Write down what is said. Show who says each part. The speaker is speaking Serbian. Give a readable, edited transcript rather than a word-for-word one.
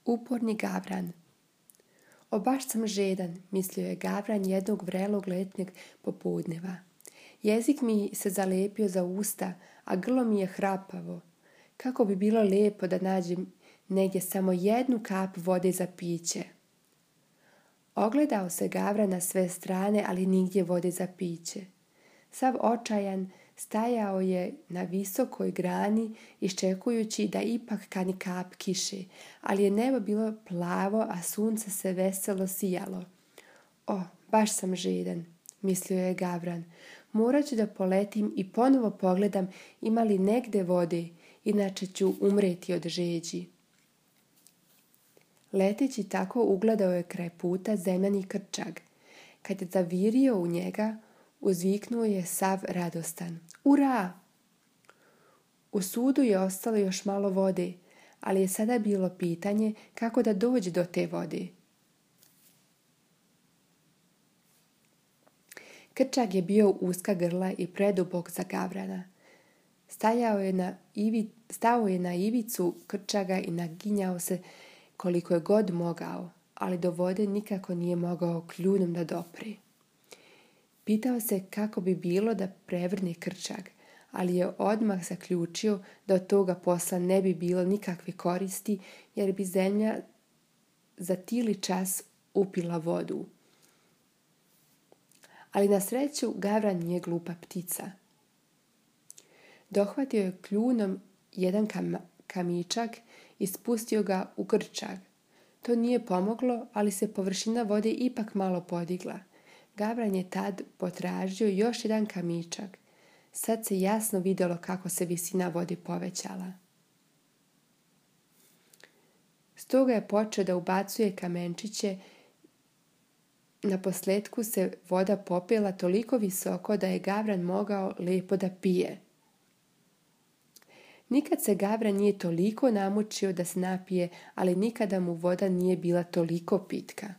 Speaker 1: Uporni gavran. O, baš sam žedan, mislio je gavran jednog vrelog letnjeg popodneva. Jezik mi se zalepio za usta, a grlo mi je hrapavo. Kako bi bilo lijepo da nađem negdje samo jednu kap vode za piće. Ogledao se gavran na sve strane, ali nigdje vode za piće. Sav očajan stajao je na visokoj grani iščekujući da ipak kani kap kiše, ali je nebo bilo plavo, a sunce se veselo sijalo. O, baš sam žedan, mislio je gavran. Morat ću da poletim i ponovo pogledam ima li negde vode, inače ću umreti od žeđi. Leteći tako ugledao je kraj puta zemljani krčag. Kad je zavirio u njega, uzviknuo je sav radostan. Ura! U sudu je ostalo još malo vode, ali je sada bilo pitanje kako da dođe do te vode. Krčag je bio uska grla i predubok za gavrana. Stao je na ivicu krčaga i naginjao se koliko je god mogao, ali do vode nikako nije mogao kljunom da dopre. Pitao se kako bi bilo da prevrne krčag, ali je odmah zaključio da od toga posla ne bi bilo nikakve koristi, jer bi zemlja za tili čas upila vodu. Ali na sreću gavran nije glupa ptica. Dohvatio je kljunom jedan kamičak i spustio ga u krčag. To nije pomoglo, ali se površina vode ipak malo podigla. Gavran je tad potražio još jedan kamičak. Sad se jasno vidjelo kako se visina vode povećala. Stoga je počeo da ubacuje kamenčiće. Naposletku se voda popela toliko visoko da je gavran mogao lijepo da pije. Nikad se gavran nije toliko namučio da se napije, ali nikada mu voda nije bila toliko pitka.